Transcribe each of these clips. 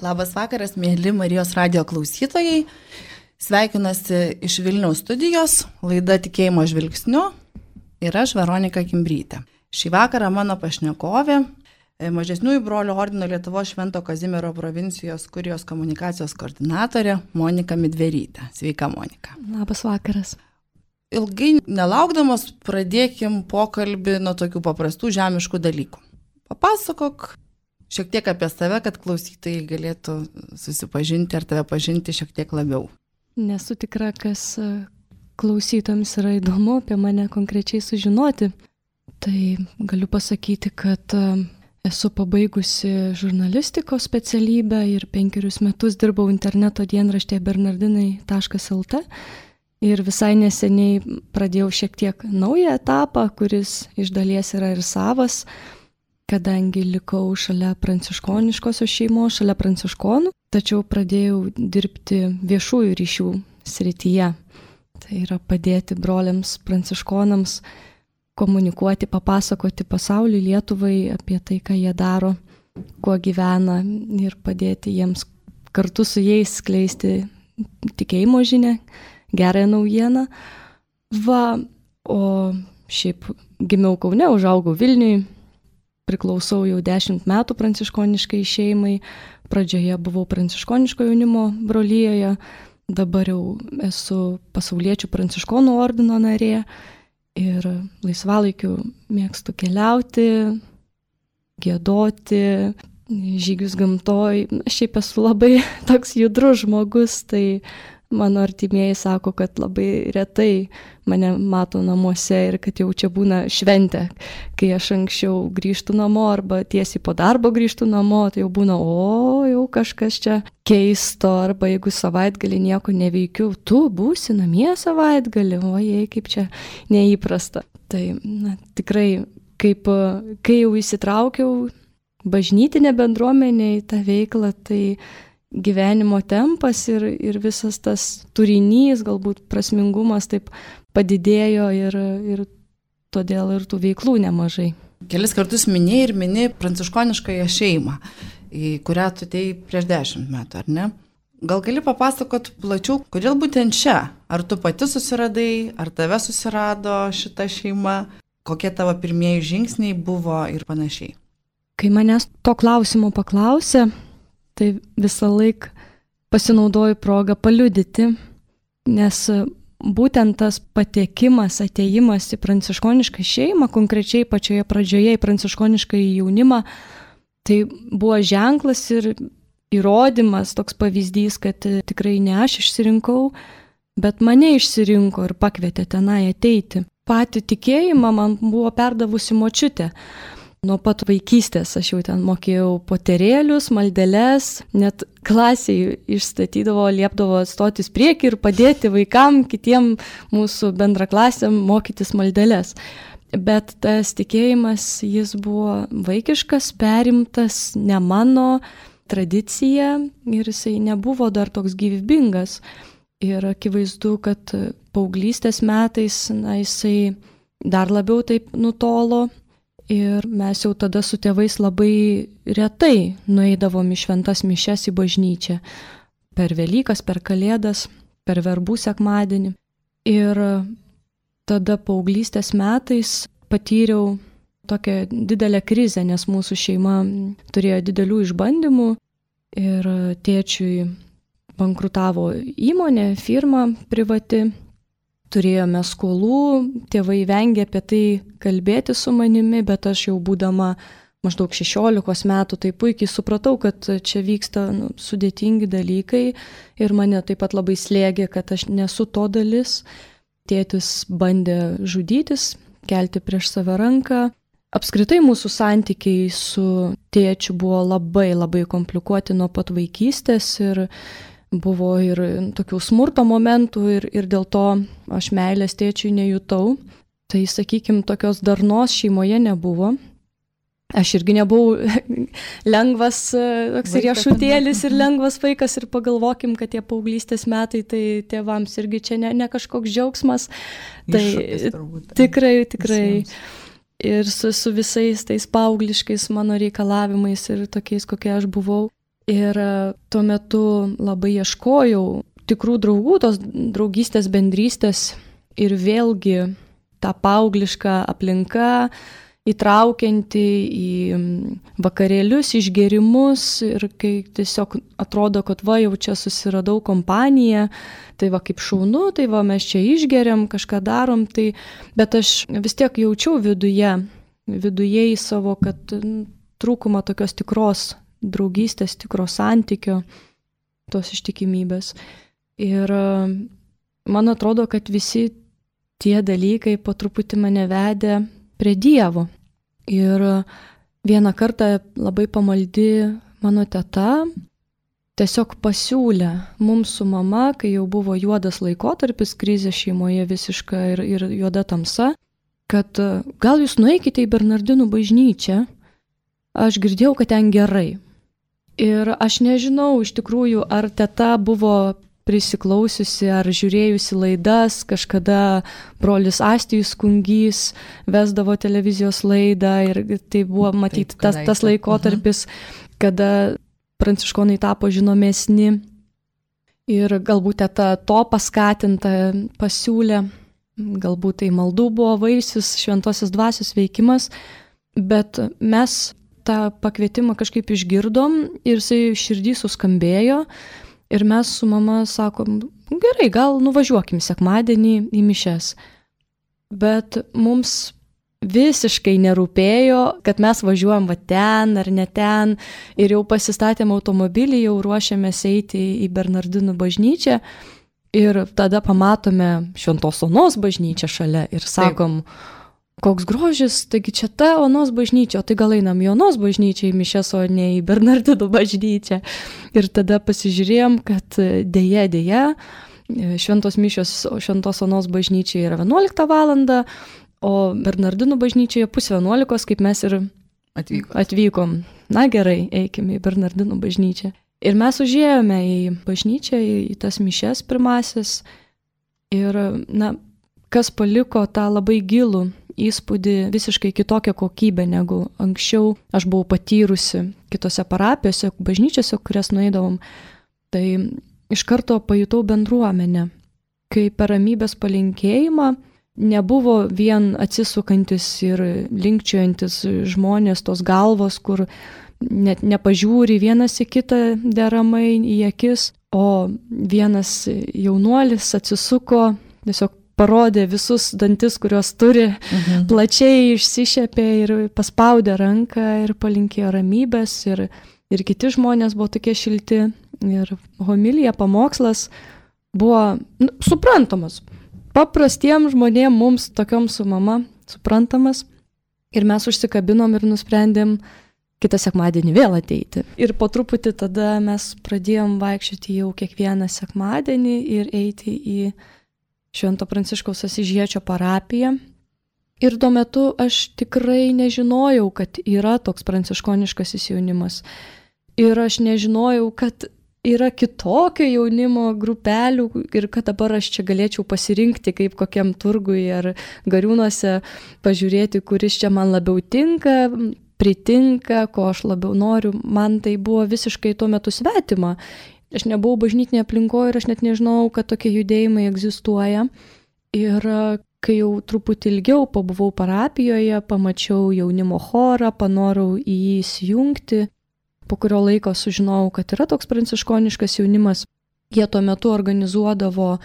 Labas vakaras, mėly Marijos radijo klausytojai. Sveikinuosi iš Vilniaus studijos, laida Tikėjimo žvilgsniu ir aš Veronika Kimbrytė. Šį vakarą mano pašnekovė, Mažesniųjų brolių ordino Lietuvos Švento Kazimiero provincijos kurijos komunikacijos koordinatorė Monika Midverytė. Sveika, Monika. Labas vakaras. Ilgai nelaukdamos pradėkim pokalbį nuo tokių paprastų žemiškų dalykų. Papasakok šiek tiek apie save, kad klausytojai galėtų susipažinti ar tave pažinti šiek tiek labiau. Nesu tikra, kas klausytojams yra įdomu apie mane konkrečiai sužinoti. Tai galiu pasakyti, kad esu pabaigusi žurnalistikos specialybę ir 5 metus dirbau interneto dienraštėje bernardinai.lt ir visai neseniai pradėjau šiek tiek naują etapą, kuris iš dalies yra ir savas, kadangi likau šalia pranciškoniškosios šeimos, šalia pranciškonų, tačiau pradėjau dirbti viešųjų ryšių srityje. Tai yra padėti broliams pranciškonams komunikuoti, papasakoti pasauliui, Lietuvai apie tai, ką jie daro, kuo gyvena ir padėti jiems kartu su jais skleisti tikėjimo žinią, gerąją naujieną. O šiaip gimiau Kaune, užaugau Vilniui, priklausau jau 10 metų pranciškoniškai šeimai, pradžioje buvau pranciškoniško jaunimo brolijoje, dabar jau esu pasauliečių pranciškonų ordino narė ir laisvalaikiu mėgstu keliauti, giedoti, žygius gamtoj. Šiaip esu labai toks judrus žmogus, tai mano artimieji sako, kad labai retai mane mato namuose ir kad jau čia būna šventė. Kai aš anksčiau grįžtu namo arba tiesiai po darbo grįžtu namo, tai jau būna, jau kažkas čia keisto, arba jeigu savaitgalį nieko neveikiu, tu būsi namie savaitgalį, ojei, kaip čia neįprasta. Tai tikrai, kai jau įsitraukiau bažnytinę bendruomenę į tą veiklą, tai gyvenimo tempas ir visas tas turinys, galbūt prasmingumas taip padidėjo ir todėl ir tų veiklų nemažai. Kelis kartus mini pranciškoniškąją šeimą, į kurią tu atėjai prieš 10 metų, ar ne? Gal gali papasakot plačiau, kodėl būtent čia? Ar tu pati susiradai, ar tave susirado šita šeima? Kokie tavo pirmieji žingsniai buvo ir panašiai? Kai manęs to klausimo paklausė, tai visą laiką pasinaudoju progą paliudyti, nes būtent tas patekimas, atėjimas į pranciškonišką šeimą, konkrečiai pačioje pradžioje į pranciškonišką jaunimą, tai buvo ženklas ir įrodymas, toks pavyzdys, kad tikrai ne aš išsirinkau, bet mane išsirinko ir pakvietė tenai ateiti. Patį tikėjimą man buvo perdavusi močiutė. Nuo pat vaikystės aš jau ten mokėjau poterėlius, maldeles, net klasiai išstatydavo, liepdavo stotis priekį ir padėti vaikam, kitiem mūsų bendraklasiam mokytis maldeles. Bet tas tikėjimas, jis buvo vaikiškas, perimtas, ne mano tradicija ir jisai nebuvo dar toks gyvybingas. Ir akivaizdu, kad paauglystės metais jisai dar labiau taip nutolo. Ir mes jau tada su tėvais labai retai nueidavom į šventas mišias į bažnyčią. Per Velykas, per Kalėdas, per verbų sekmadienį. Ir tada paauglystės metais patyriau tokią didelę krizę, nes mūsų šeima turėjo didelių išbandymų ir tėčiui bankrutavo įmonė, firma privati. Turėjome skolų, tėvai vengė apie tai kalbėti su manimi, bet aš jau būdama maždaug 16 metų tai puikiai supratau, kad čia vyksta sudėtingi dalykai ir mane taip pat labai slėgė, kad aš nesu to dalis. Tėtis bandė žudytis, kelti prieš save ranką. Apskritai mūsų santykiai su tėčiu buvo labai komplikuoti nuo pat vaikystės ir buvo ir tokių smurto momentų ir dėl to aš meilės tėčiui nejutau. Tai, sakykime, tokios darnos šeimoje nebuvo. Aš irgi nebuvau lengvas toks riešutėlis ir lengvas vaikas ir pagalvokim, kad tie paauglystės metai, tai tėvams irgi čia ne kažkoks džiaugsmas. Tai tikrai. Visiems. Ir su visais tais paaugliškais mano reikalavimais ir tokiais, kokie aš buvau. Ir tuo metu labai ieškojau tikrų draugų, tos draugystės, bendrystės ir vėlgi ta paaugliška aplinka, įtraukianti į vakarėlius, išgėrimus ir kai tiesiog atrodo, kad va jau čia susiradau kompaniją, tai va kaip šaunu, tai va mes čia išgeriam, kažką darom, tai, bet aš vis tiek jaučiau viduje į savo, kad trūkumą tokios tikros draugystės, tikro santykio, tos ištikimybės. Ir man atrodo, kad visi tie dalykai po truputį mane vedė prie Dievo. Ir vieną kartą labai pamaldi mano teta tiesiog pasiūlė mums su mama, kai jau buvo juodas laikotarpis, krizė šeimoje visiška ir juoda tamsa, kad gal jūs nueikite į Bernardinų bažnyčią, aš girdėjau, kad ten gerai. Ir aš nežinau iš tikrųjų, ar teta buvo prisiklausiusi ar žiūrėjusi laidas, kažkada brolis Astijus Kungys vesdavo televizijos laidą ir tai buvo matyti tas laikotarpis, kada pranciškonai tapo žinomesni ir galbūt teta to paskatinta pasiūlė, galbūt tai maldų buvo vaisius, šventosios dvasios veikimas, bet mes tą pakvietimą kažkaip išgirdom ir jisai širdį suskambėjo. Ir mes su mama sakom, gerai, gal nuvažiuokim sekmadienį į mišias. Bet mums visiškai nerūpėjo, kad mes važiuojam va ten ar ne ten. Ir jau pasistatėm automobilį, jau ruošiamės eiti į Bernardinų bažnyčią. Ir tada pamatome Šventos Onos bažnyčią šalia ir sakom, koks grožis, taigi čia ta Onos bažnyčia, o tai gal einam į Onos bažnyčią į mišias, o ne į Bernardinų bažnyčią. Ir tada pasižiūrėjom, kad dėja, šventos mišios Šventos Onos bažnyčiai yra 11 valandą, o Bernardinų bažnyčioje 10:30, kaip mes ir atvykom. Na gerai, eikime į Bernardinų bažnyčią. Ir mes užėjome į bažnyčią, į tas mišias pirmasis. Ir, kas paliko tą labai gilų įspūdį, visiškai kitokią kokybę negu anksčiau aš buvau patyrusi kitose parapijose, bažnyčiose, kurias nueidavom. Tai iš karto pajutau bendruomenę, kai per ramybės palinkėjimą nebuvo vien atsisukantis ir linkčiojantis žmonės, tos galvos, kur net nepažiūri vienas į kitą deramai į akis, o vienas jaunuolis atsisuko, tiesiog parodė visus dantis, kuriuos turi, plačiai išsišepė ir paspaudė ranką ir palinkėjo ramybės ir kiti žmonės buvo tokie šilti ir homilija, pamokslas buvo suprantamas. Paprastiems žmonėms mums tokiom su mama suprantamas ir mes užsikabinom ir nusprendėm kitą sekmadienį vėl ateiti. Ir po truputį tada mes pradėjom vaikščioti jau kiekvieną sekmadienį ir eiti į Švento Pranciškaus Asyžiečio parapiją. Ir tuo metu aš tikrai nežinojau, kad yra toks pranciškoniškasis jaunimas. Ir aš nežinojau, kad yra kitokio jaunimo grupelių ir kad dabar aš čia galėčiau pasirinkti kaip kokiam turgui ar Gariūnuose, pažiūrėti, kuris čia man labiau tinka, pritinka, ko aš labiau noriu. Man tai buvo visiškai tuo metu svetima. Aš nebuvau bažnytinėje aplinkoje ir aš net nežinau, kad tokie judėjimai egzistuoja. Ir kai jau truputį ilgiau pabuvau parapijoje, pamačiau jaunimo chorą, panorau į jį įsijungti. Po kurio laiko sužinojau, kad yra toks pranciškoniškas jaunimas. Jie tuo metu organizuodavo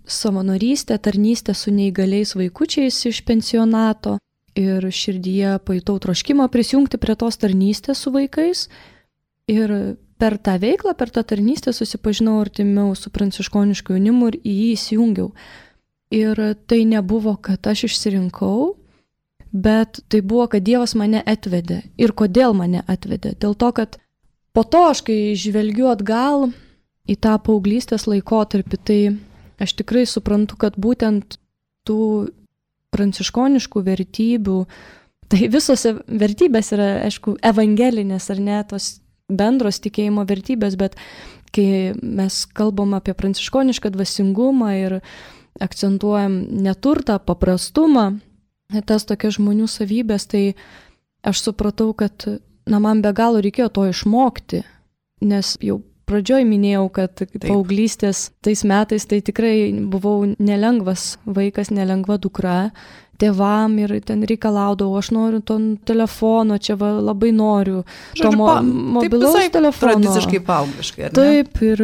savanorystę, tarnystę su neįgaliais vaikučiais iš pensionato. Ir širdyje pajutau troškimą prisijungti prie tos tarnystės su vaikais. Ir per tą veiklą, per tą tarnystę susipažinau artimiau su pranciškonišku jaunimu ir į jį įsijungiau. Ir tai nebuvo, kad aš išsirinkau, bet tai buvo, kad Dievas mane atvedė. Ir kodėl mane atvedė? Dėl to, kad po to aš, kai žvelgiu atgal į tą paauglystės laikotarpį, tai aš tikrai suprantu, kad būtent tų pranciškoniškų vertybių, tai visose vertybės yra, aišku, evangelinės ar ne, tos bendros tikėjimo vertybės, bet kai mes kalbam apie pranciškonišką dvasingumą ir akcentuojam neturtą, paprastumą, tas tokias žmonių savybės, tai aš supratau, kad man be galo reikėjo to išmokti. nes jau pradžioj minėjau, kad paauglystės tais metais tai tikrai buvau nelengvas vaikas, nelengva dukra. Tėvam ir ten reikalaudavau, aš noriu to telefono, čia labai noriu. Mobilaus telefono. Tradiciškai paaugliškai, ar ne? Taip, ir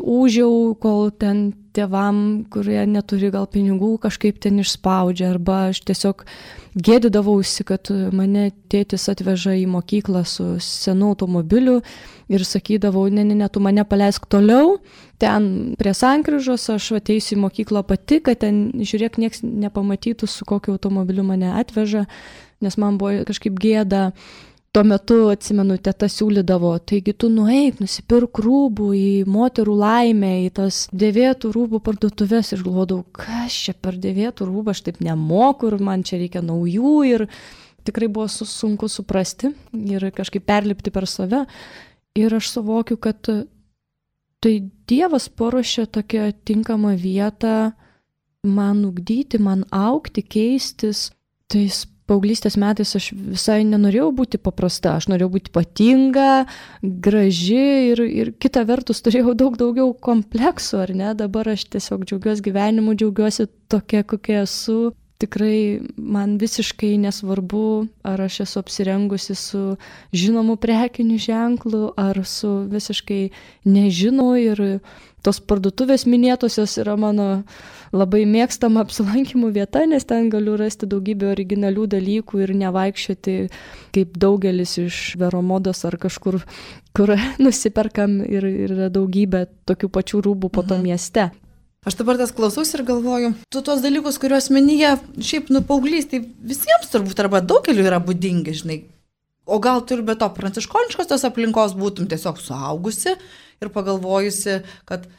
ūžiau, kol ten tėvam, kurie neturi gal pinigų, kažkaip ten išspaudžia. Arba aš tiesiog gėdydavausi, kad mane tėtis atveža į mokyklą su senu automobiliu ir sakydavau, ne, tu mane paleisk toliau, ten prie sankryžos aš ateisiu į mokyklą pati, kad ten, žiūrėk, nieks nepamatytų, su kokiu automobiliu mane atveža, nes man buvo kažkaip gėda. Tuo metu, atsimenu, teta siūlydavo, taigi tu nueik, nusipirk rūbų į moterų laimę, į tas dėvėtų rūbų parduotuvės ir galvodavau, kas čia per dėvėtų rūbą, aš taip nemoku ir man čia reikia naujų ir tikrai buvo sunku suprasti ir kažkaip perlipti per save. Ir aš suvokiu, kad tai Dievas paruošė tokią tinkamą vietą man ugdyti, man augti, keistis. Tais paauglystės metais aš visai nenorėjau būti paprasta, aš norėjau būti ypatinga, graži ir kita vertus turėjau daug daugiau kompleksų, ar ne? Dabar aš tiesiog džiaugiuosi gyvenimu, džiaugiuosi tokia, kokia esu. Tikrai man visiškai nesvarbu, ar aš esu apsirengusi su žinomu prekiniu ženklu, ar su visiškai nežinau ir tos parduotuvės minėtosios yra mano labai mėgstama apsilankymų vieta, nes ten galiu rasti daugybę originalių dalykų ir nevaikščioti kaip daugelis iš Veromodos ar kažkur, kur nusiperkam ir yra daugybė tokių pačių rūbų po to mieste. Aš dabar tas klausausi ir galvoju, tu tos dalykus, kuriuos minėja, šiaip paauglystėj visiems turbūt arba daugeliu yra būdingi, žinai. O gal tu ir be to pranciškoniškos tos aplinkos būtum tiesiog suaugusi ir pagalvojusi, kad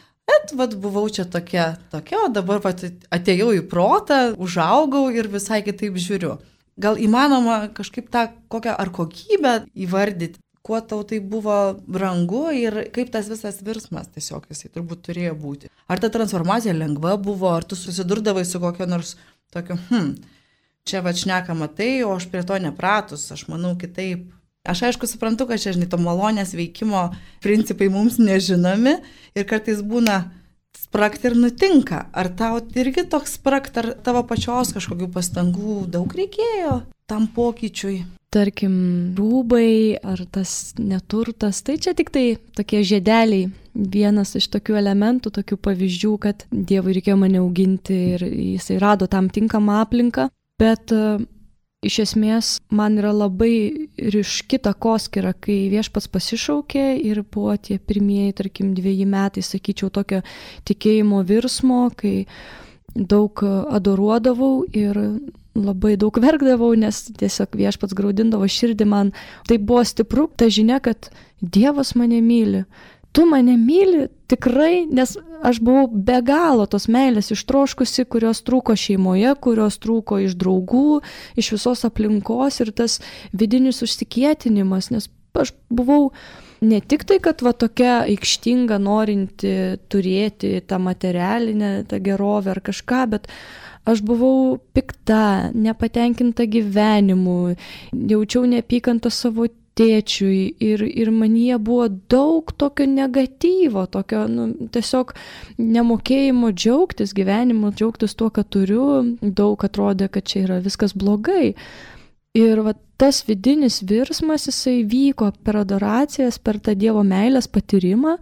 buvau čia tokia, o dabar atėjau į protą, užaugau ir visai kitaip žiūriu. Gal įmanoma kažkaip tą kokią ar kokybę įvardyti, kuo tau tai buvo brangu ir kaip tas visas virsmas tiesiog jisai turbūt turėjo būti. Ar ta transformacija lengva buvo, ar tu susidurdavai su kokio nors tokiu, čia šnekama tai, o aš prie to nepratus, aš manau kitaip. Aš aišku suprantu, kad čia, žinai, to malonės veikimo principai mums nežinomi ir kartais būna sprakt ir nutinka. Ar tau irgi toks sprakt, ar tavo pačios kažkokių pastangų daug reikėjo tam pokyčiui? Tarkim, rūbai ar tas neturtas, tai čia tik tai tokie žiedeliai. Vienas iš tokių elementų, tokių pavyzdžių, kad Dievui reikėjo mane auginti ir jisai rado tam tinkamą aplinką. Bet iš esmės man yra labai ryški takoskyra, kai Viešpats pasišaukė ir buvo tie pirmieji, tarkim, 2 metai, sakyčiau, tokio tikėjimo virsmo, kai daug adoruodavau ir labai daug verkdavau, nes tiesiog Viešpats graudindavo širdį man. Tai buvo stipru, ta žinia, kad Dievas mane myli. Tu mane myli tikrai, nes aš buvau be galo tos meilės ištroškusi, kurios trūko šeimoje, kurios trūko iš draugų, iš visos aplinkos ir tas vidinis užsikietinimas, nes aš buvau ne tik tai, kad tokia aikštinga norinti turėti tą materialinę, tą gerovę ar kažką, bet aš buvau pikta, nepatenkinta gyvenimu, jaučiau neapykantą savo tėčiui ir manyje buvo daug tokio negatyvo, tokio tiesiog nemokėjimo džiaugtis gyvenimu, džiaugtis tuo, ką turiu, daug atrodė, kad čia yra viskas blogai. Ir tas vidinis virsmas, jisai vyko per adoracijas, per tą Dievo meilės patyrimą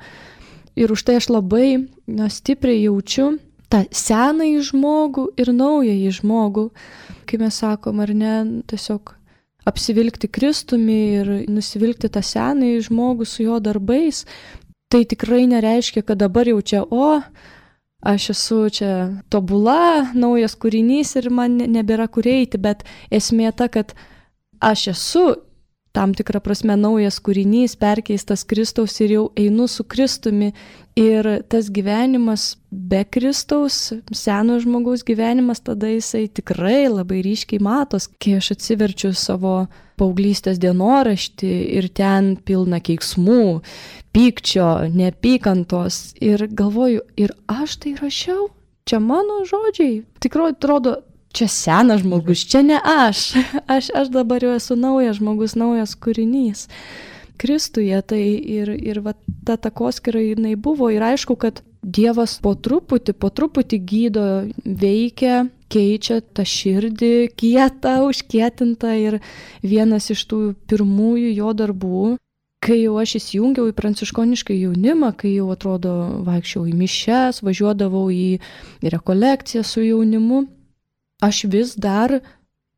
ir už tai aš labai stipriai jaučiu tą senąjį žmogų ir naująjį žmogų. Kai mes sakom, ar ne, tiesiog apsivilkti Kristumi ir nusivilkti tą senąjį žmogų su jo darbais, tai tikrai nereiškia, kad dabar jau čia, aš esu čia tobula, naujas kūrinys ir man nebėra kur eiti, bet esmė ta, kad aš esu tam tikrą prasme naujas kūrinys, perkeistas Kristaus ir jau einu su Kristumi ir tas gyvenimas be Kristaus, seno žmogaus gyvenimas, tada jisai tikrai labai ryškiai matos, kai aš atsiverčiu savo paauglystės dienoraštį ir ten pilna keiksmų, pykčio, neapykantos ir galvoju, ir aš tai rašiau, čia mano žodžiai, tikrai atrodo, čia senas žmogus, čia ne aš dabar jau esu naujas žmogus, naujas kūrinys. Kristuje. Tai ir va, ta takoskyra jinai buvo. Ir aišku, kad Dievas po truputį gydo, veikia, keičia tą širdį kietą, užkietintą. Ir vienas iš tų pirmųjų jo darbų, kai jau aš įsijungiau į pranciškonišką jaunimą, kai jau atrodo vaikščiau į mišias, važiuodavau į rekolekciją su jaunimu, aš vis dar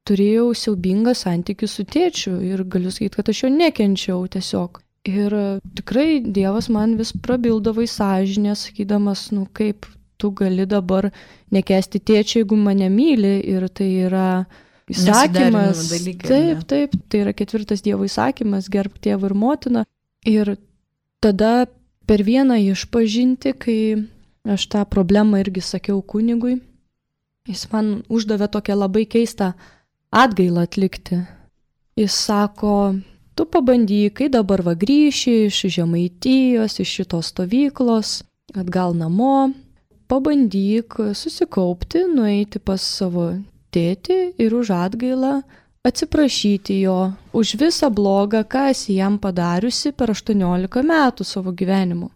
turėjau siaubingą santykį su tėčiu ir galiu sakyti, kad aš jo nekenčiau tiesiog. Ir tikrai Dievas man vis prabildavo į sąžinę, sakydamas, kaip tu gali dabar nekęsti tėčio, jeigu mane myli, ir tai yra įsakymas. Dalykai, taip, tai yra 4 Dievo įsakymas, gerbk tėvą ir motiną. Ir tada per vieną išpažintį, kai aš tą problemą irgi sakiau kunigui, jis man uždavė tokią labai keistą atgailą atlikti. Jis sako, tu pabandyk, kai dabar va grįši iš Žemaitijos, iš šitos stovyklos, atgal namo, pabandyk susikaupti, nueiti pas savo tėtį ir už atgailą atsiprašyti jo už visą blogą, ką esi jam padariusi per 18 metų savo gyvenimu.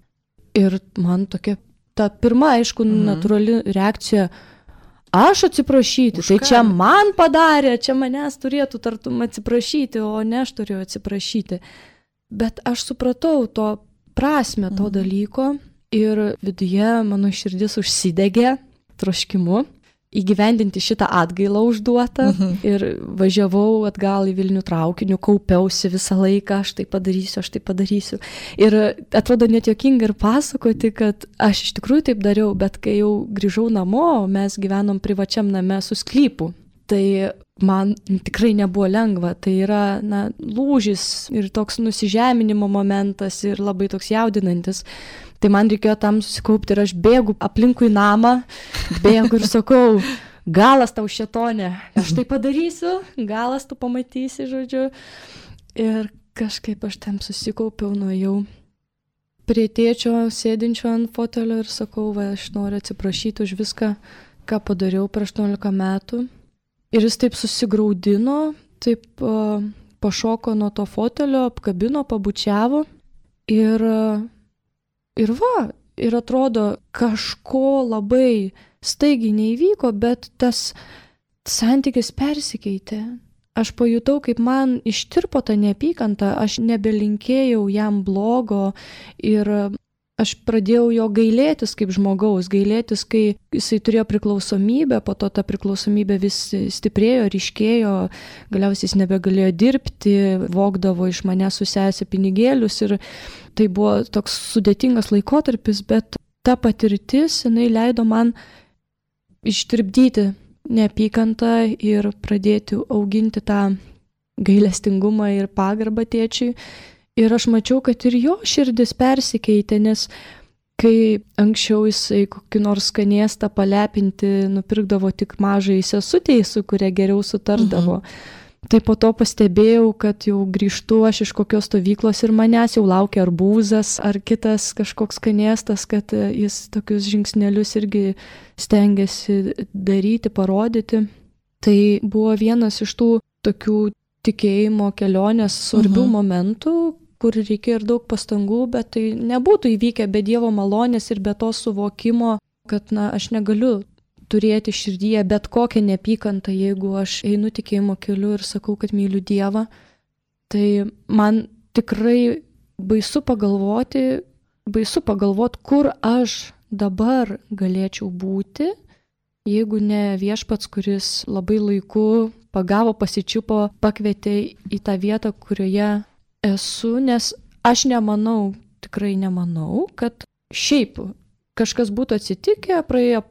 Ir man tokia, ta pirma, aišku, natūrali reakcija, aš atsiprašyti, tai čia man padarė, čia manęs turėtų tartum atsiprašyti, o ne aš turėjau atsiprašyti. Bet aš supratau to prasme to dalyko ir viduje mano širdis užsidegė troškimu įgyvendinti šitą atgailą užduotą ir važiavau atgal į Vilnių traukiniu, kaupiausi visą laiką, aš tai padarysiu. Ir atrodo net juokinga ir pasakoti, kad aš iš tikrųjų taip dariau, bet kai jau grįžau namo, mes gyvenom privačiam name su sklypu. Tai man tikrai nebuvo lengva, tai yra lūžis ir toks nusižeminimo momentas ir labai toks jaudinantis. Tai man reikėjo tam susikaupti ir aš bėgu aplinkui namą, bėgu ir sakau, galas tau šėtonė, aš tai padarysiu, galas tu pamatysi, žodžiu. Ir kažkaip aš tam susikaupiau, nuėjau prie tėčio sėdinčio ant fotelio ir sakau, aš noriu atsiprašyti už viską, ką padariau per 18 metų. Ir jis taip susigraudino, taip pašoko nuo to fotelio, apkabino, pabučiavo ir atrodo, kažko labai staigiai neįvyko, bet tas santykis persikeitė. Aš pajutau, kaip man ištirpo ta neapykanta, aš nebelinkėjau jam blogo ir aš pradėjau jo gailėtis kaip žmogaus, gailėtis, kai jisai turėjo priklausomybę, po to ta priklausomybė vis stiprėjo, ryškėjo, galiausiai jis nebegalėjo dirbti, vogdavo iš mane su sesė pinigėlius ir tai buvo toks sudėtingas laikotarpis, bet ta patirtis, jinai leido man ištirpdyti neapykantą ir pradėti auginti tą gailestingumą ir pagarbą tėčiui. Ir aš mačiau, kad ir jo širdis persikeitė, nes kai anksčiau jisai kokį nors skanėstą palepinti nupirkdavo tik mažai sesutei, su kuria geriau sutardavo. Tai po to pastebėjau, kad jau grįžtu aš iš kokios stovyklos ir manęs jau laukia arbūzas ar kitas kažkoks skanėstas, kad jis tokius žingsnelius irgi stengiasi daryti, parodyti. Tai buvo vienas iš tų tokių tikėjimo kelionės svarbių momentų, kur reikėjo ir daug pastangų, bet tai nebūtų įvykę be Dievo malonės ir be to suvokimo, kad aš negaliu turėti širdyje bet kokią neapykantą, jeigu aš einu tikėjimo keliu ir sakau, kad myliu Dievą. Tai man tikrai baisu pagalvoti, kur aš dabar galėčiau būti, jeigu ne Viešpats, kuris labai laiku pagavo, pasičiupo, pakvietė į tą vietą, kurioje esu, nes aš nemanau, tikrai nemanau, kad šiaip kažkas būtų atsitikę,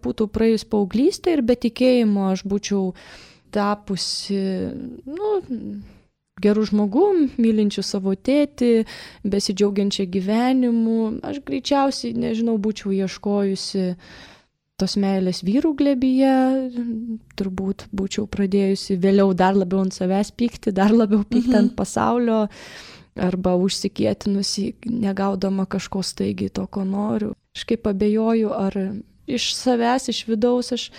būtų praėjus paauglystė ir be tikėjimo aš būčiau tapusi, gerų žmogum, mylinčių savo tėtį, besidžiaugiančią gyvenimu. Aš greičiausiai, būčiau ieškojusi tos meilės vyrų glėbyje, turbūt būčiau pradėjusi vėliau dar labiau ant savęs pykti, dar labiau pykti ant pasaulio, arba užsikietinusi, negaudama kažko staigiai to, ko noriu. Aš kaip abejoju, ar iš savęs, iš vidaus aš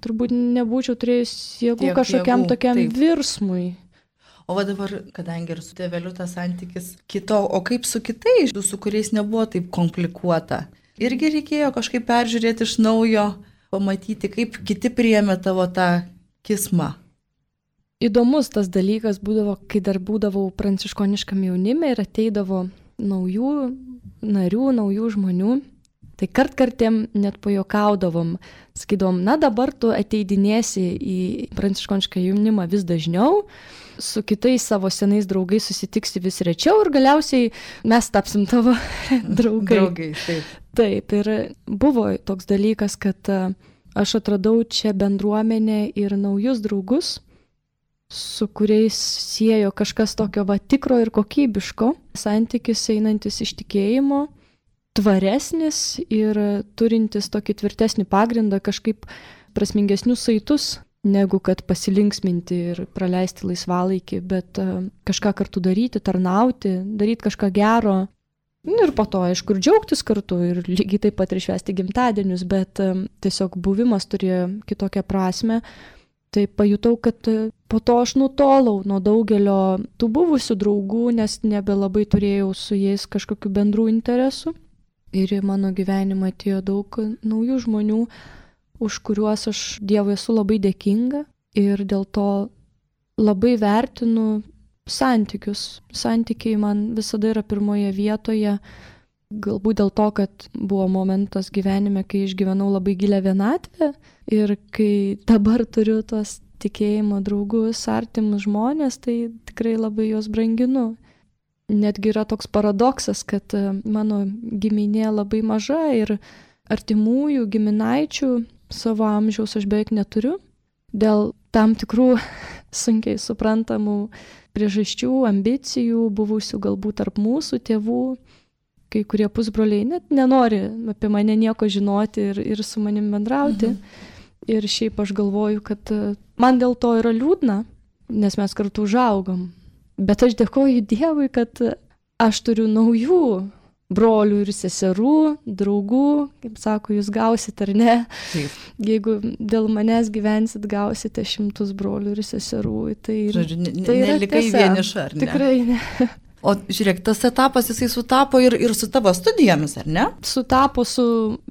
turbūt nebūčiau turėjus jėgų kažkokiam tokiam virsmui. O va dabar, kadangi ir su tėveliu tas santykis kito, o kaip su kitais, su kuriais nebuvo taip komplikuota? Irgi reikėjo kažkaip peržiūrėti iš naujo, pamatyti, kaip kiti priėmė tavo tą kismą. Įdomus tas dalykas būdavo, kai dar būdavau pranciškoniškam jaunime ir ateidavo naujų narių, naujų žmonių. Tai kartkartėm net pajokaudavom, sakydavom, na dabar tu ateidinėsi į pranciškonišką jaunimą vis dažniau, su kitais savo senais draugais susitiksi vis rečiau ir galiausiai mes tapsim tavo draugai. Draugai, taip. Taip, ir buvo toks dalykas, kad aš atradau čia bendruomenę ir naujus draugus, su kuriais siejo kažkas tokio tikro ir kokybiško, santykis einantis iš tikėjimo, tvaresnis ir turintis tokį tvirtesnį pagrindą, kažkaip prasmingesnius saitus, negu kad pasilinksminti ir praleisti laisvalaikį, bet kažką kartu daryti, tarnauti, daryti kažką gero. Ir po to, aišku, ir džiaugtis kartu ir lygiai taip pat ir švęsti gimtadienius, bet tiesiog buvimas turėjo kitokią prasme. Tai pajutau, kad po to aš nutolau nuo daugelio tų buvusių draugų, nes nebelabai turėjau su jais kažkokių bendrų interesų. Ir į mano gyvenimą atėjo daug naujų žmonių, už kuriuos aš Dievui esu labai dėkinga ir dėl to labai vertinu santykius. Santykiai man visada yra pirmoje vietoje, galbūt dėl to, kad buvo momentas gyvenime, kai išgyvenau labai gilią vienatvę ir kai dabar turiu tos tikėjimo draugus, artimus žmonės, tai tikrai labai juos branginu. Netgi yra toks paradoksas, kad mano giminė labai maža ir artimųjų giminaičių savo amžiaus aš beveik neturiu. Dėl tam tikrų sunkiai suprantamų priežasčių, ambicijų, buvusių galbūt tarp mūsų tėvų, kai kurie pusbroliai net nenori apie mane nieko žinoti ir su manim bendrauti. Ir šiaip aš galvoju, kad man dėl to yra liūdna, nes mes kartu užaugom. Bet aš dėkoju Dievui, kad aš turiu naujų brolių ir seserų, draugų, kaip sako, jūs gausit ar ne. Taip. Jeigu dėl manęs gyvensit, gausite 100 brolių ir seserų. Tai, Žodžiu, tai nelikai vieniša, ar ne? Tikrai ne. O žiūrėk, tas etapas jisai sutapo ir su tavo studijomis, ar ne? Sutapo su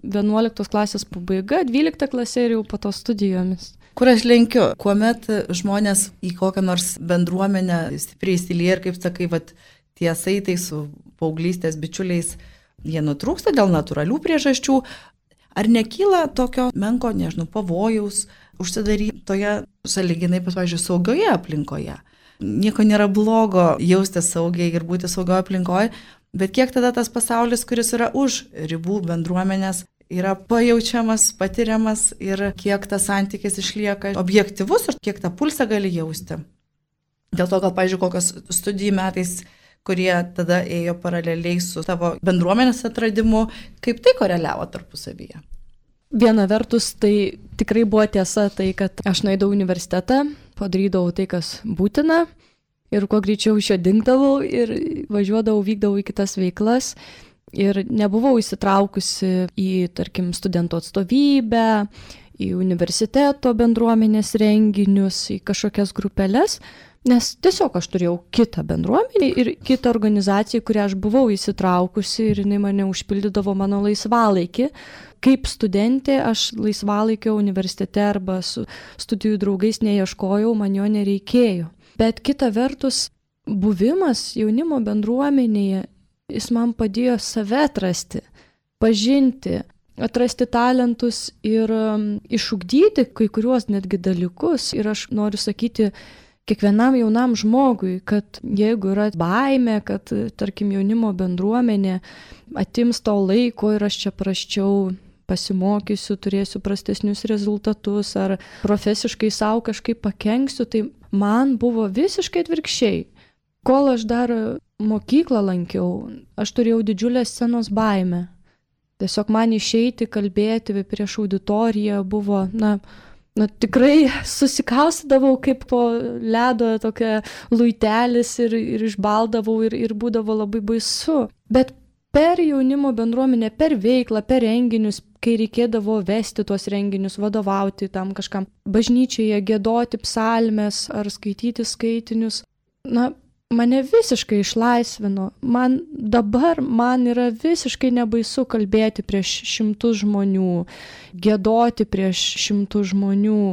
11 klasės pabaiga, 12 klasė ir jau po to studijomis. Kur aš lenkiu, kuomet žmonės į kokią nors bendruomenę stipriai įsilieja ir, kaip sakai, tie saitai su paauglystės bičiuliais, jie nutrūksta dėl natūralių priežasčių. Ar nekyla tokio menko, pavojaus užsidaryti toje sąlyginai, pavyzdžiui, saugioje aplinkoje? Nieko nėra blogo jaustis saugiai ir būti saugioje aplinkoje, bet kiek tada tas pasaulis, kuris yra už ribų bendruomenės, yra pajaučiamas, patiriamas ir kiek tas santykis išlieka objektyvus ir kiek tą pulsą gali jausti. Dėl to gal, pavyzdžiui, kokios studijų metais, kurie tada ėjo paraleliai su tavo bendruomenės atradimu, kaip tai koreliavo tarpusavyje? Viena vertus, tai tikrai buvo tiesa tai, kad aš nueidau į universitetą, padarydavau tai, kas būtina ir kuo greičiau iš jo dingdavau ir važiuodavau, vykdavau į kitas veiklas. Ir nebuvau įsitraukusi į, tarkim, studentų atstovybę, į universiteto bendruomenės renginius, į kažkokias grupelės, nes tiesiog aš turėjau kitą bendruomenę ir kitą organizaciją, kurią aš buvau įsitraukusi ir jinai mane užpildydavo mano laisvalaikį. Kaip studentė aš laisvalaikio universitete arba su studijų draugais neieškojau, man jo nereikėjo. Bet kita vertus, buvimas jaunimo bendruomenėje, jis man padėjo save atrasti, pažinti, atrasti talentus ir išugdyti kai kuriuos netgi dalykus. Ir aš noriu sakyti kiekvienam jaunam žmogui, kad jeigu yra baimė, kad, tarkim, jaunimo bendruomenė atims to laiko ir aš čia prasčiau pasimokysiu, turėsiu prastesnius rezultatus ar profesiškai savo kažkaip pakenksiu, tai man buvo visiškai atvirkščiai. Kol aš dar mokyklą lankiau, aš turėjau didžiulę scenos baimę. Tiesiog man išeiti, kalbėti prieš auditoriją buvo, tikrai susikaustydavau kaip po ledo tokia luitelis ir išbaldavau ir būdavo labai baisu. Bet per jaunimo bendruomenę, per veiklą, per renginius, kai reikėdavo vesti tuos renginius, vadovauti tam kažkam, bažnyčioje giedoti psalmes ar skaityti skaitinius, mane visiškai išlaisvino. Man yra visiškai nebaisu kalbėti prieš 100 žmonių, giedoti prieš 100 žmonių,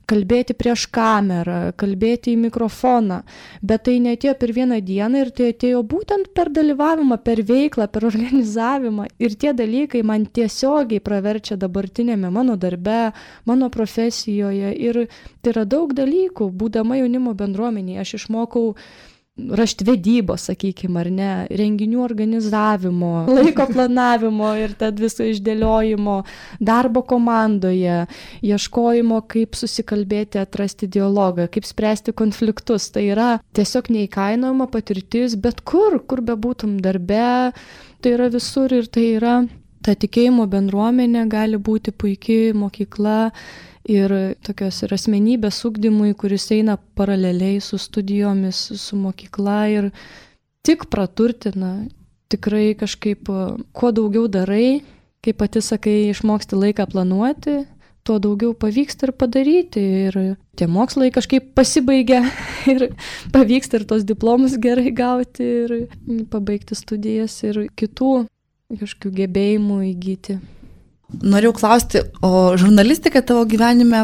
kalbėti prieš kamerą, kalbėti į mikrofoną. Bet tai neatėjo per vieną dieną ir tai atėjo būtent per dalyvavimą, per veiklą, per organizavimą. Ir tie dalykai man tiesiogiai praverčia dabartinėme mano darbe, mano profesijoje. Ir tai yra daug dalykų. Būdama jaunimo bendruomenėje, aš išmokau raštvedybos, sakykime, ar ne, renginių organizavimo, laiko planavimo ir tad viso išdėliojimo, darbo komandoje, ieškojimo, kaip susikalbėti, atrasti dialogą, kaip spręsti konfliktus. Tai yra tiesiog neįkainojama patirtis, bet kur bebūtum darbe, tai yra visur ir tai yra ta tikėjimo bendruomenė gali būti puikiai mokykla ir tokios ir asmenybės ugdymui, kuris eina paraleliai su studijomis, su mokykla ir tik praturtina. Tikrai kažkaip, kuo daugiau darai, kaip pati sakai, išmoksti laiką planuoti, tuo daugiau pavyksta ir padaryti. Ir tie mokslai kažkaip pasibaigia ir pavyksta ir tos diplomus gerai gauti ir pabaigti studijas ir kitų kažkokių gebėjimų įgyti. Norėjau klausti, o žurnalistika tavo gyvenime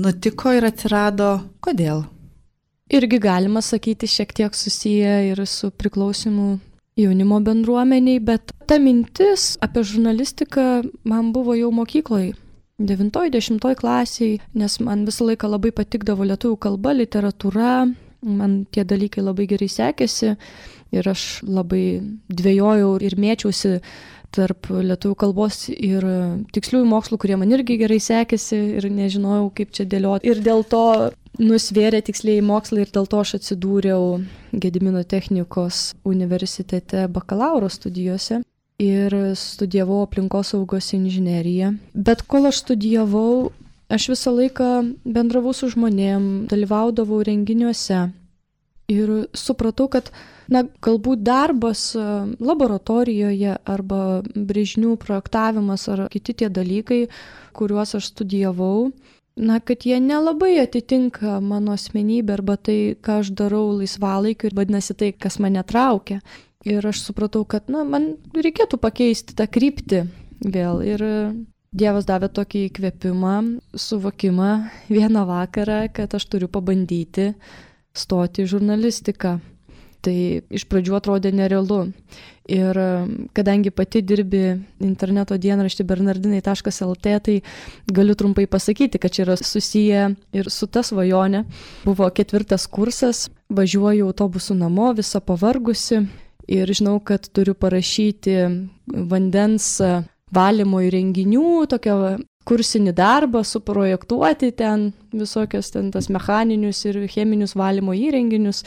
nutiko ir atsirado kodėl? Irgi galima sakyti šiek tiek susiję ir su priklausimu jaunimo bendruomeniai, bet ta mintis apie žurnalistiką man buvo jau mokykloje, 9-10 klasiai, nes man visą laiką labai patikdavo lietuvių kalba, literatūra, man tie dalykai labai gerai sekėsi ir aš labai dvejojau ir mėčiausi tarp lietuvių kalbos ir tiksliųjų mokslų, kurie man irgi gerai sekėsi ir nežinojau, kaip čia dėlioti. Ir dėl to nusvėrė tikslieji mokslai ir dėl to aš atsidūriau Gedimino technikos universitete bakalauro studijose ir studijavau aplinkosaugos inžineriją. Bet kol aš studijavau, aš visą laiką bendravau su žmonėm, dalyvaudavau renginiuose ir supratau, kad galbūt darbas laboratorijoje arba brėžinių projektavimas ar kiti tie dalykai, kuriuos aš studijavau, kad jie nelabai atitinka mano asmenybę arba tai, ką aš darau laisvalaikiu ir vadinasi tai, kas mane traukia. Ir aš supratau, kad man reikėtų pakeisti tą kryptį vėl. Ir Dievas davė tokį įkvėpimą, suvokimą vieną vakarą, kad aš turiu pabandyti stoti į žurnalistiką. Tai iš pradžių atrodė nerealu. Ir kadangi pati dirbi interneto dienraštį bernardinai.lt, tai galiu trumpai pasakyti, kad čia yra susiję ir su ta svajonė. Buvo 4 kursas, važiuoju autobusu namo, visa pavargusi ir žinau, kad turiu parašyti vandens valymo įrenginių, tokią kursinį darbą, suprojektuoti ten visokios ten tas mechaninius ir cheminius valymo įrenginius.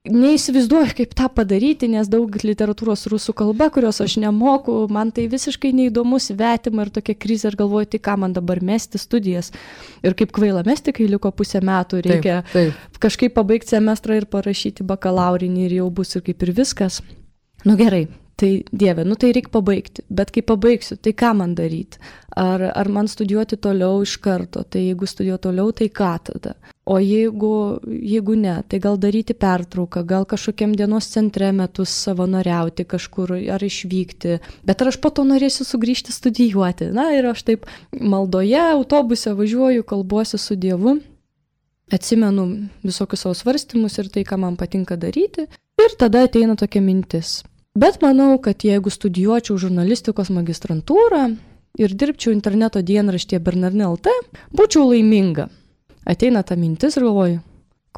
Neįsivaizduoju, kaip tą padaryti, nes daug literatūros rusų kalba, kurios aš nemoku, man tai visiškai neįdomu, svetima ir tokia krizė, ir galvoju, tai ką man dabar mesti studijas. Ir kaip kvaila mesti, kai liko pusę metų, reikia kažkaip pabaigti semestrą ir parašyti bakalaurinį ir jau bus ir kaip ir viskas. Gerai. Tai Dieve, tai reikia pabaigti, bet kai pabaigsiu, tai ką man daryti? Ar man studijuoti toliau iš karto? Tai jeigu studijuoti toliau, tai ką tada? O jeigu ne, tai gal daryti pertrauką, gal kažkokiam dienos centre metus savanoriauti kažkur ar išvykti. Bet ar aš po to norėsiu sugrįžti studijuoti? Ir aš taip maldoje, autobuse važiuoju, kalbuosi su Dievu, atsimenu visokius savo svarstymus ir tai, ką man patinka daryti. Ir tada ateina tokia mintis. Bet manau, kad jeigu studijuočiau žurnalistikos magistrantūrą ir dirbčiau interneto dienraštyje Bernardinai.lt, būčiau laiminga. Ateina ta mintis ir galvoju,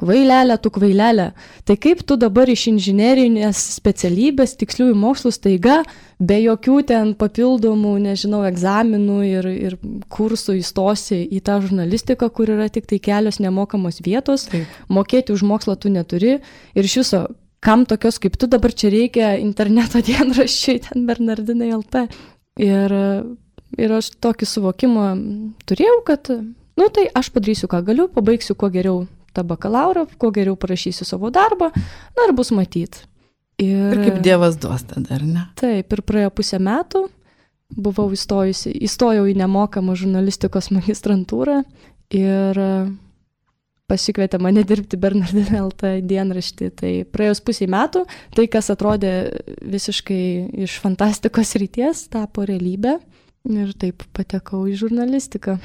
kvailelė, tai kaip tu dabar iš inžinerinės specialybės tiksliųjų mokslų staiga, be jokių ten papildomų, egzaminų ir kursų įstosi į tą žurnalistiką, kur yra tik tai kelios nemokamos vietos, mokėti už mokslą tu neturi ir iš viso, kam tokios kaip tu dabar čia reikia interneto dienraščiui ten Bernardinai.lt. Ir aš tokį suvokimą turėjau, kad, tai aš padarysiu, ką galiu, pabaigsiu kuo geriau tą bakalaurą, kuo geriau parašysiu savo darbą, ir bus matyt. Ir kaip Dievas duos tada, ar ne? Taip, ir praėjo pusę metų, buvau įstojau į nemokamą žurnalistikos magistrantūrą ir pasikvietė mane dirbti Bernardinų LT dienraštį. Tai praėjus pusė metų, tai kas atrodė visiškai iš fantastikos ryties, tapo realybė ir taip patekau į žurnalistiką.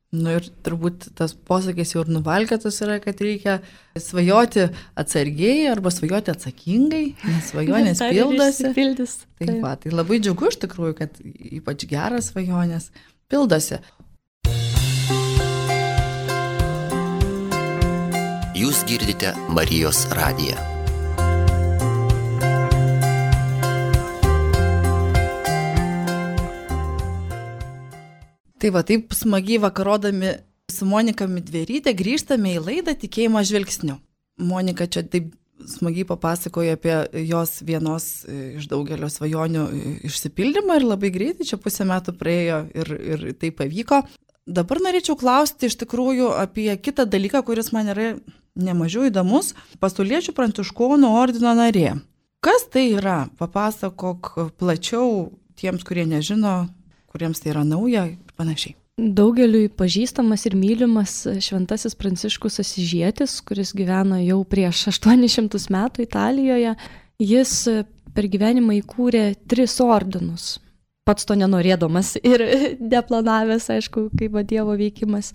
Ir turbūt tas posakis jau ir nuvalkėtas yra, kad reikia svajoti atsargiai arba svajoti atsakingai, nes svajonės pildosi. Tai labai džiugu iš tikrųjų, kad ypač geras svajonės pildosi. Jūs girdite Marijos radiją. Tai va, taip smagiai vakarodami su Monika Midveryte grįžtame į laidą Tikėjimo žvilgsniu. Monika čia taip smagiai papasakojo apie jos vienos iš daugelio svajonių išsipildymą ir labai greitai, čia pusę metų praėjo ir tai pavyko. Dabar norėčiau klausti iš tikrųjų apie kitą dalyką, kuris man yra nemažiau įdomus. Pasauliečių pranciškonų ordino narė. Kas tai yra? Papasakok plačiau tiems, kurie nežino, kuriems tai yra nauja ir panašiai. Daugeliui pažįstamas ir mylimas šventasis Pranciškus Asyžietis, kuris gyveno jau prieš 800 metų Italijoje. Jis per gyvenimą įkūrė 3 ordinus. Pats to nenorėdamas ir neplanavęs, aišku, kaip Dievo veikimas.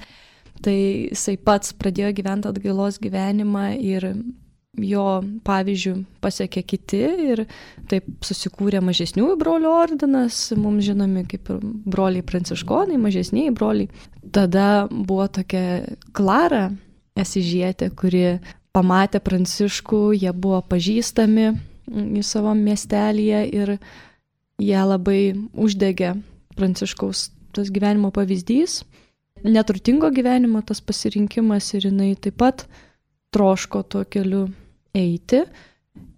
Tai jisai pats pradėjo gyventi atgailos gyvenimą ir jo pavyzdžių pasiekė kiti ir taip susikūrė mažesniųjų brolių ordinas, mums žinomi kaip broliai pranciškonai, mažesniai broliai. Tada buvo tokia Klara Asyžietė, kuri pamatė Pranciškų, jie buvo pažįstami į savo miestelyje ir ją labai uždegė Pranciškaus tas gyvenimo pavyzdys. Neturtingo gyvenimo tas pasirinkimas ir jinai taip pat troško tuo keliu eiti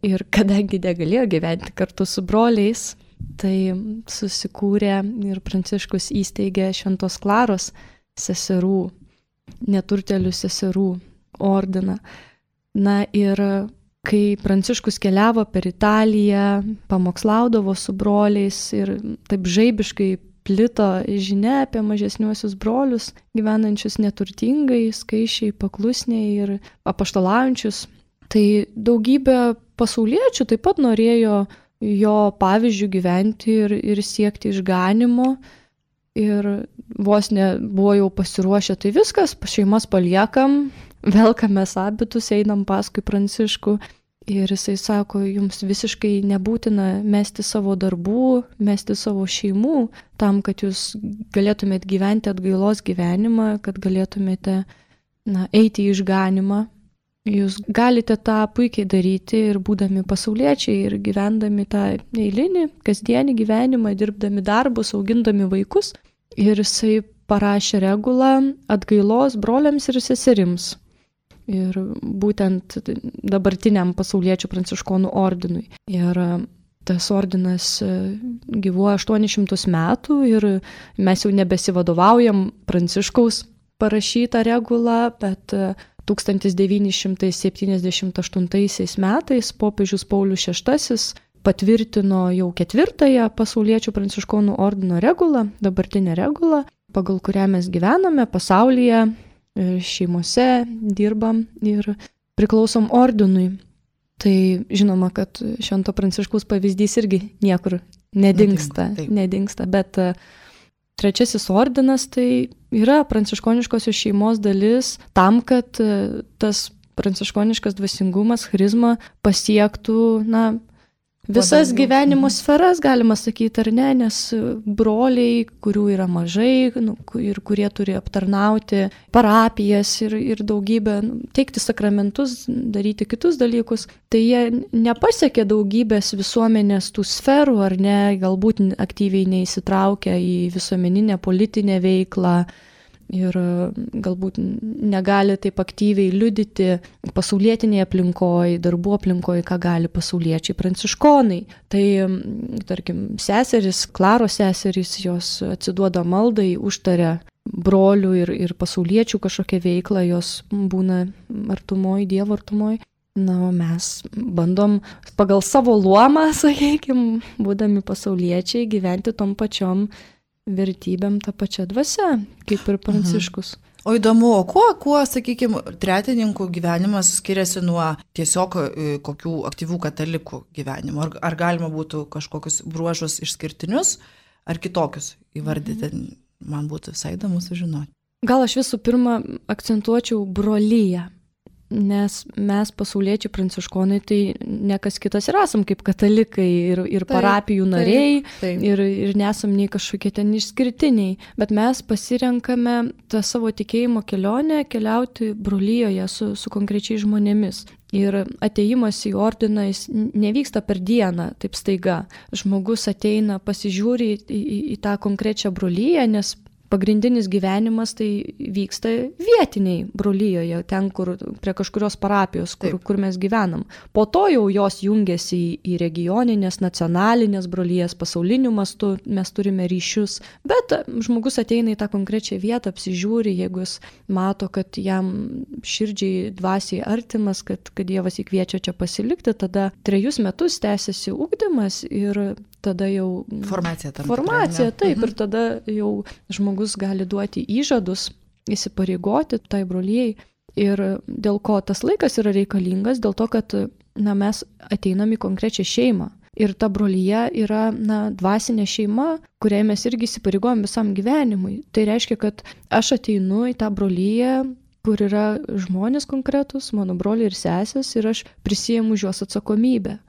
ir kadangi negalėjo gyventi kartu su broliais, tai susikūrė ir Pranciškus įsteigė Šventos Klaros seserų, neturtelių seserų ordiną. Na ir kai Pranciškus keliavo per Italiją, pamokslaudavo su broliais ir taip žaibiškai plito žinia apie mažesniuosius brolius, gyvenančius neturtingai, skaičiai, paklusniai ir apaštalaujančius. Tai daugybė pasauliečių taip pat norėjo jo pavyzdžių gyventi ir siekti išganimo. Ir vos nebuvo jau pasiruošę, tai viskas, šeimas paliekam, velkamės abitus, einam paskui Pranciškų. Ir jisai sako, jums visiškai nebūtina mesti savo darbų, mesti savo šeimų, tam, kad jūs galėtumėte gyventi atgailos gyvenimą, kad galėtumėte eiti į išganimą. Jūs galite tą puikiai daryti ir būdami pasauliečiai, ir gyvendami tą eilinį, kasdienį gyvenimą, dirbdami darbus, augindami vaikus. Ir jisai parašė regulą atgailos broliams ir seserims. Ir būtent dabartiniam pasauliečių pranciškonų ordinui. Ir tas ordinas gyvuoja 800 metų ir mes jau nebesivadovaujam Pranciškaus parašytą regulą, bet 1978 metais popiežius Paulius VI patvirtino jau 4 pasauliečių pranciškonų ordino regulą, dabartinę regulą, pagal kurią mes gyvename pasaulyje, šeimose dirbam ir priklausom ordinui. Tai žinoma, kad Švento Pranciškaus pavyzdys irgi niekur nedingsta, bet 3 ordinas tai yra pranciškoniškosios šeimos dalis tam, kad tas pranciškoniškas dvasingumas, charizma pasiektų, visas gyvenimo sferas, galima sakyti, ar ne, nes broliai, kurių yra mažai ir kurie turi aptarnauti parapijas ir daugybę, teikti sakramentus, daryti kitus dalykus, tai jie nepasiekė daugybės visuomenės tų sferų, ar ne, galbūt aktyviai neįsitraukia į visuomeninę politinę veiklą ir galbūt negali taip aktyviai liudyti pasaulietinėje aplinkoje, darbų aplinkoje, ką gali pasauliečiai pranciškonai. Tai, tarkim, seserys, Klaros seserys, jos atsiduoda maldai, užtaria brolių ir pasauliečių kažkokią veiklą, jos būna artumoj, Dievo artumoj. O mes bandom pagal savo luomą, sakykime, būdami pasauliečiai, gyventi tom pačiom vertybėm tą pačią dvasią, kaip ir Pranciškus. O įdomu, o kuo, sakykime, tretininkų gyvenimas skiriasi nuo tiesiog kokių aktyvių katalikų gyvenimo? Ar galima būtų kažkokius bruožus išskirtinius ar kitokius įvardyti? Man būtų visai įdomu sužinoti. Gal aš visų pirma akcentuočiau brolyją. Nes mes pasauliečiai pranciškonai tai ne kas kitas ir esam kaip katalikai ir parapijų nariai ir nesam nei kažkokie ten išskirtiniai, bet mes pasirenkame tą savo tikėjimo kelionę keliauti brolyjoje su konkrečiais žmonėmis. Ir atėjimas į ordiną jis nevyksta per dieną, taip staiga. Žmogus ateina, pasižiūri į tą konkrečią brolyją, nes pagrindinis gyvenimas tai vyksta vietiniai brolyjoje, ten, kur prie kažkurios parapijos, kur mes gyvenam. Po to jau jos jungiasi į regioninės, nacionalinės brolyjas, pasauliniu mastu, mes turime ryšius. Bet žmogus ateina į tą konkrečią vietą, apsižiūri, jeigu jis mato, kad jam širdžiai dvasiai artimas, kad Dievas jį kviečia čia pasilikti, tada 3 metus tęsiasi ugdymas ir tada jau formacija, taip, ir tada jau žmogus gali duoti įžadus, įsipareigoti tai brolyjei. Ir dėl ko tas laikas yra reikalingas, dėl to, kad mes ateinam į konkrečią šeimą. Ir ta brolyja yra dvasinė šeima, kuriai mes irgi įsipareigojom visam gyvenimui. Tai reiškia, kad aš ateinu į tą brolyją, kur yra žmonės konkretus, mano broliai ir sesės, ir aš prisiimu už juos atsakomybę.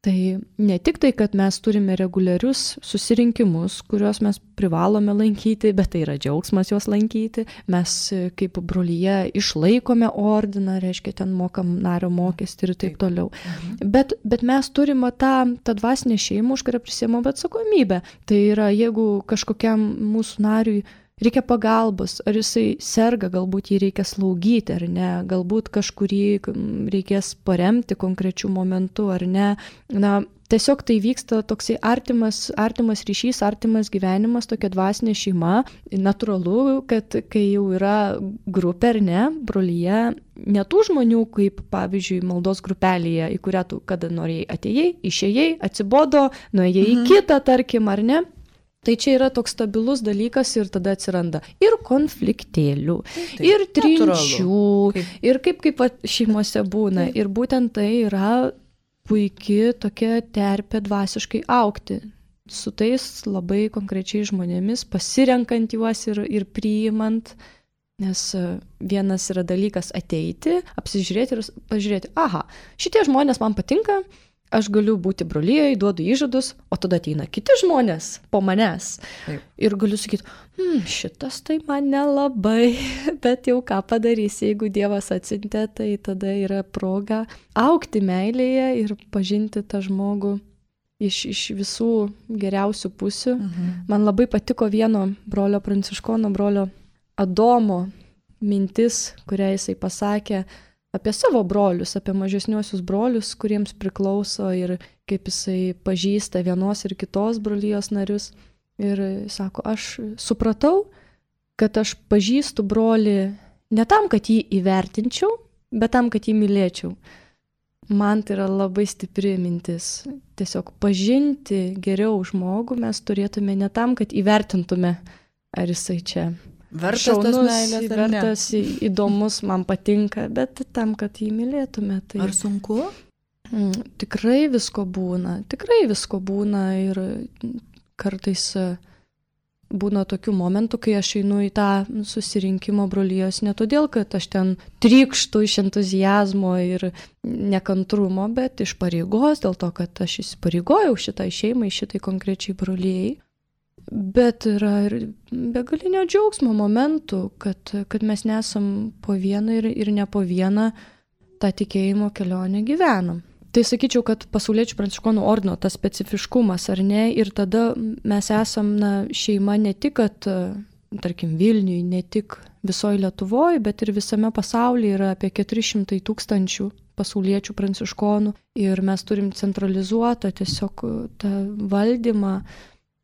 Tai ne tik tai, kad mes turime reguliarius susirinkimus, kuriuos mes privalome lankyti, bet tai yra džiaugsmas juos lankyti. Mes kaip brolyje išlaikome ordiną, reiškia, ten mokam nario mokestį ir taip toliau. Bet mes turime tą dvasinę šeimą, už kurią prisiimam atsakomybę. Tai yra, jeigu kažkokiam mūsų nariui reikia pagalbos, ar jisai serga, galbūt jį reikia slaugyti ar ne, galbūt kažkurį reikės paremti konkrečių momentų ar ne. Tiesiog tai vyksta toksai artimas ryšys, artimas gyvenimas, tokia dvasinė šeima. Natūralu, kad kai jau yra grupė ar ne, brolyje, ne tų žmonių, kaip pavyzdžiui maldos grupelėje, į kurią tu kada norėjai atėjai, išėjai, atsibodo, nuėjai į kitą, tarkim, ar ne. Tai čia yra toks stabilus dalykas ir tada atsiranda ir konfliktėlių, ir trinčių, ir kaip šeimose būna. Ir būtent tai yra puikia tokia terpė dvasiškai augti. Su tais labai konkrečiai žmonėmis, pasirenkant juos ir priimant. Nes vienas yra dalykas ateiti, apsižiūrėti ir pažiūrėti, šitie žmonės man patinka, aš galiu būti brolyje, duodu įžadus, o tada ateina kiti žmonės po manęs. Taip. Ir galiu sakyti, šitas tai man nelabai, bet jau ką padarysi, jeigu Dievas atsiuntė, tai tada yra proga augti meilėje ir pažinti tą žmogų iš visų geriausių pusių. Man labai patiko vieno brolio pranciškono, brolio Adomo mintis, kurią jisai pasakė apie savo brolius, apie mažesniuosius brolius, kuriems priklauso ir kaip jisai pažįsta vienos ir kitos brolijos narius. Ir sako, aš supratau, kad aš pažįstu brolį ne tam, kad jį įvertinčiau, bet tam, kad jį mylėčiau. Man tai yra labai stipri mintis. Tiesiog pažinti geriau žmogų mes turėtume ne tam, kad įvertintume, ar jisai čia vertas, įdomus, man patinka, bet tam, kad jį mylėtume. Tai... Ar sunku? Tikrai visko būna ir kartais būna tokių momentų, kai aš einu į tą susirinkimo brolijos ne todėl, kad aš ten trykštu iš entuziazmo ir nekantrumo, bet iš pareigos, dėl to, kad aš įsipareigojau šitai šeimai, šitai konkrečiai brolijai. Bet yra ir begalinio džiaugsmo momentų, kad mes nesam po vieną ir ne po vieną tą tikėjimo kelionę gyvenam. Tai sakyčiau, kad pasauliečių pranciškonų ordino tas specifiškumas, ar ne, ir tada mes esam šeima ne tik, kad, tarkim, Vilniui, ne tik visoje Lietuvoje, bet ir visame pasaulyje yra apie 400 000 pasauliečių pranciškonų ir mes turim centralizuotą tiesiog tą valdymą.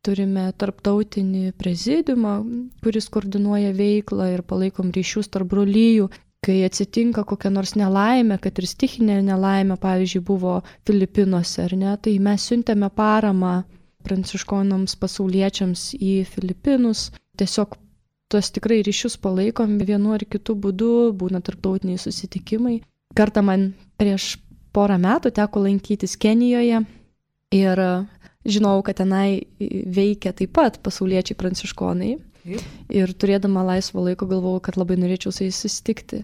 Turime tarptautinį prezidiumą, kuris koordinuoja veiklą ir palaikom ryšius tarp brolijų. Kai atsitinka kokia nors nelaimė, kad ir stichinė nelaimė, pavyzdžiui, buvo Filipinuose, ar ne, tai mes siuntėme paramą pranciškonams pasauliečiams į Filipinus. Tiesiog tuos tikrai ryšius palaikom vienu ar kitu būdu, būna tarptautiniai susitikimai. Kartą man prieš porą metų teko lankytis Kenijoje ir žinau, kad tenai veikia taip pat pasauliečiai pranciškonai. Ir turėdama laisvo laiko galvojau, kad labai norėčiau su jais susitikti.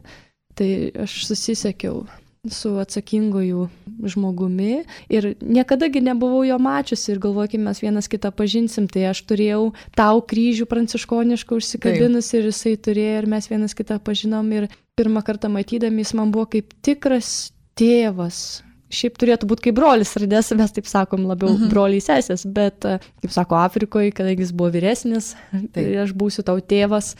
Tai aš susisiekiau su atsakingoju žmogumi ir niekadagi nebuvau jo mačiusi ir galvoju, kai mes vienas kitą pažinsim, tai aš turėjau tau kryžių pranciškonišką užsikabinus ir jisai turėjo ir mes vienas kitą pažinom ir pirmą kartą matydami jis man buvo kaip tikras tėvas. Šiaip turėtų būti kaip brolis, radės, mes taip sakom labiau broliai sesės, bet, kaip sako, Afrikoje, kadangi jis buvo vyresnis, tai aš būsiu tau tėvas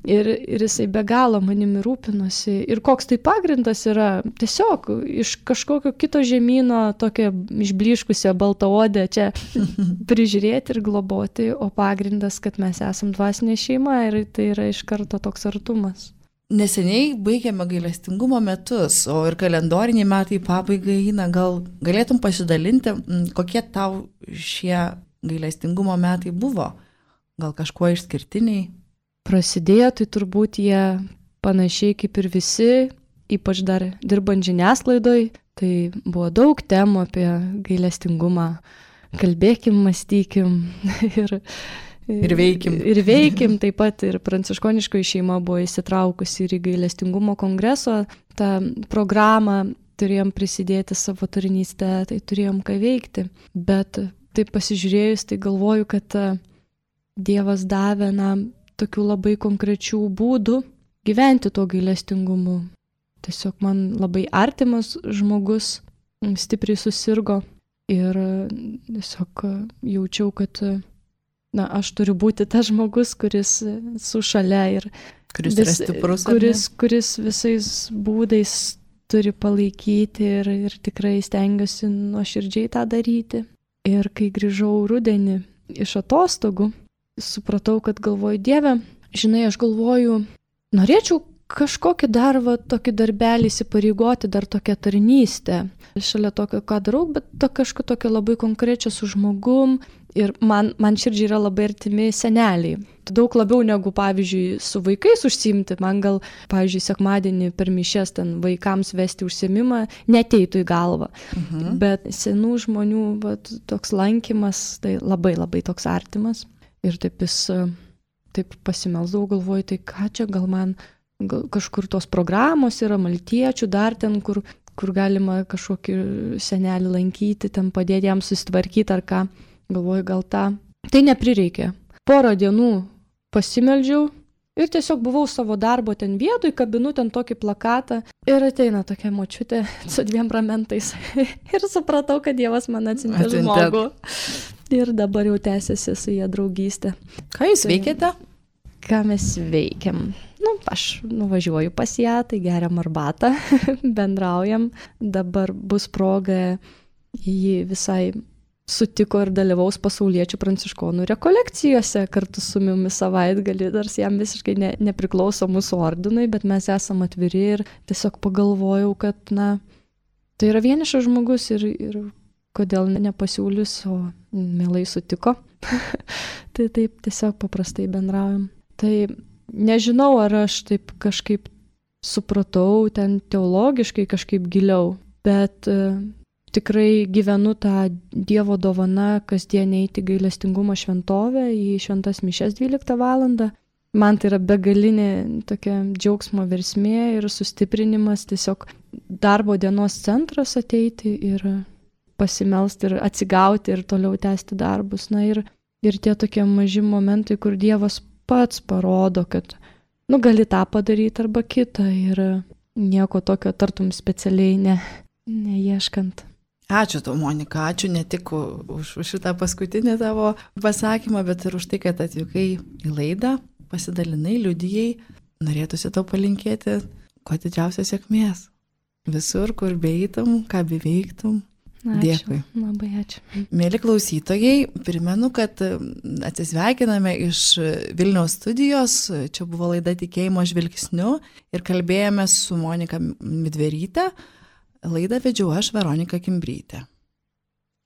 ir jisai be galo manimi rūpinosi. Ir koks tai pagrindas yra, tiesiog iš kažkokio kito žemyno, tokia išbliškusio baltaodę čia prižiūrėti ir globoti, o pagrindas, kad mes esam dvasinė šeima ir tai yra iš karto toks artumas. Neseniai baigėme gailestingumo metus, o ir kalendoriniai metai pabaigai eina. Gal galėtum pasidalinti, kokie tau šie gailestingumo metai buvo? Gal kažkuo išskirtiniai? Prasidėjo, tai turbūt jie panašiai kaip ir visi, ypač dar dirbant žiniasklaidoj, tai buvo daug temų apie gailestingumą. Kalbėkim, mąstykim ir veikim, taip pat ir pranciškoniškoji šeima buvo įsitraukusi ir į gailestingumo kongreso tą programą, turėjom prisidėti savo tarnystę, tai turėjom ką veikti. Bet taip pasižiūrėjus, tai galvoju, kad Dievas davė tokių labai konkrečių būdų gyventi tuo gailestingumu. Tiesiog man labai artimas žmogus stipriai susirgo ir tiesiog jaučiau, kad aš turiu būti tas žmogus, kuris su šalia ir kuris yra stiprus, kuris visais būdais turi palaikyti ir tikrai stengiuosi nuoširdžiai tą daryti. Ir kai grįžau rudenį iš atostogų, supratau, kad galvoju, Dieve, žinai, aš galvoju, norėčiau kažkokį dar tokį darbelį įsipareigoti, dar tokią tarnystę. Šalia tokio, ką darau, bet kažką tokio labai konkrečio su žmogum. Ir man širdžiai yra labai artimi seneliai. Daug labiau negu, pavyzdžiui, su vaikais užsiimti. Man gal, pavyzdžiui, sekmadienį per mišias ten vaikams vesti užsiėmimą neteitų į galvą. Bet senų žmonių toks lankymas, tai labai labai toks artimas. Ir taip pasimelsdavau, galvoju, tai ką čia gal man kažkur tos programos yra, maltiečių dar ten, kur galima kažkokį senelį lankyti, ten padėti jam susitvarkyti ar ką. Galvoju, gal tą. Tai neprireikė. Porą dienų pasimeldžiau ir tiesiog buvau savo darbo ten vietoj, kabinu ten tokį plakatą ir ateina tokia močiutė su 2 ramentais. Ir supratau, kad Dievas man atsiuntė žmogų. Ir dabar jau tęsiasi su jie draugystė. Ką jūs veikiate? Ką mes veikiam? Aš nuvažiuoju pas ją, tai geriam arbatą, bendraujam. Dabar bus proga jį visai sutiko ir dalyvaus pasauliečių pranciškonų rekolekcijose kartu su mumis savaitgalį, nors jam visiškai nepriklauso mūsų ordinui, bet mes esam atviri ir tiesiog pagalvojau, kad tai yra vienišas žmogus ir kodėl nepasiūlius, o mielai sutiko. Tai taip tiesiog paprastai bendraujam. Tai nežinau, ar aš taip kažkaip supratau ten teologiškai kažkaip giliau, bet tikrai gyvenu tą Dievo dovaną kasdien eiti gailestingumo šventovę į šventas mišias 12 valandą. Man tai yra begalinė tokia džiaugsmo versmė ir sustiprinimas, tiesiog darbo dienos centras ateiti ir pasimelsti ir atsigauti ir toliau tęsti darbus. Ir tie tokie maži momentai, kur Dievas pats parodo, kad gali tą padaryti arba kitą ir nieko tokio tartum specialiai neieškant. Ačiū tau, Monika, ačiū ne tik už šitą paskutinį tavo pasakymą, bet ir už tai, kad atvykai į laidą, pasidalinai, liudijai. Norėtųsi tau palinkėti kuo didžiausios sėkmės. Visur, kur beeitum, ką beveiktum. Dėkui. Labai ačiū. Mėly klausytojai, primenu, kad atsisveikiname iš Vilniaus studijos. Čia buvo laida Tikėjimo žvilgsniu ir kalbėjome su Monika Midveryte. Laidą vedžiau aš, Veronika Kimbrytė.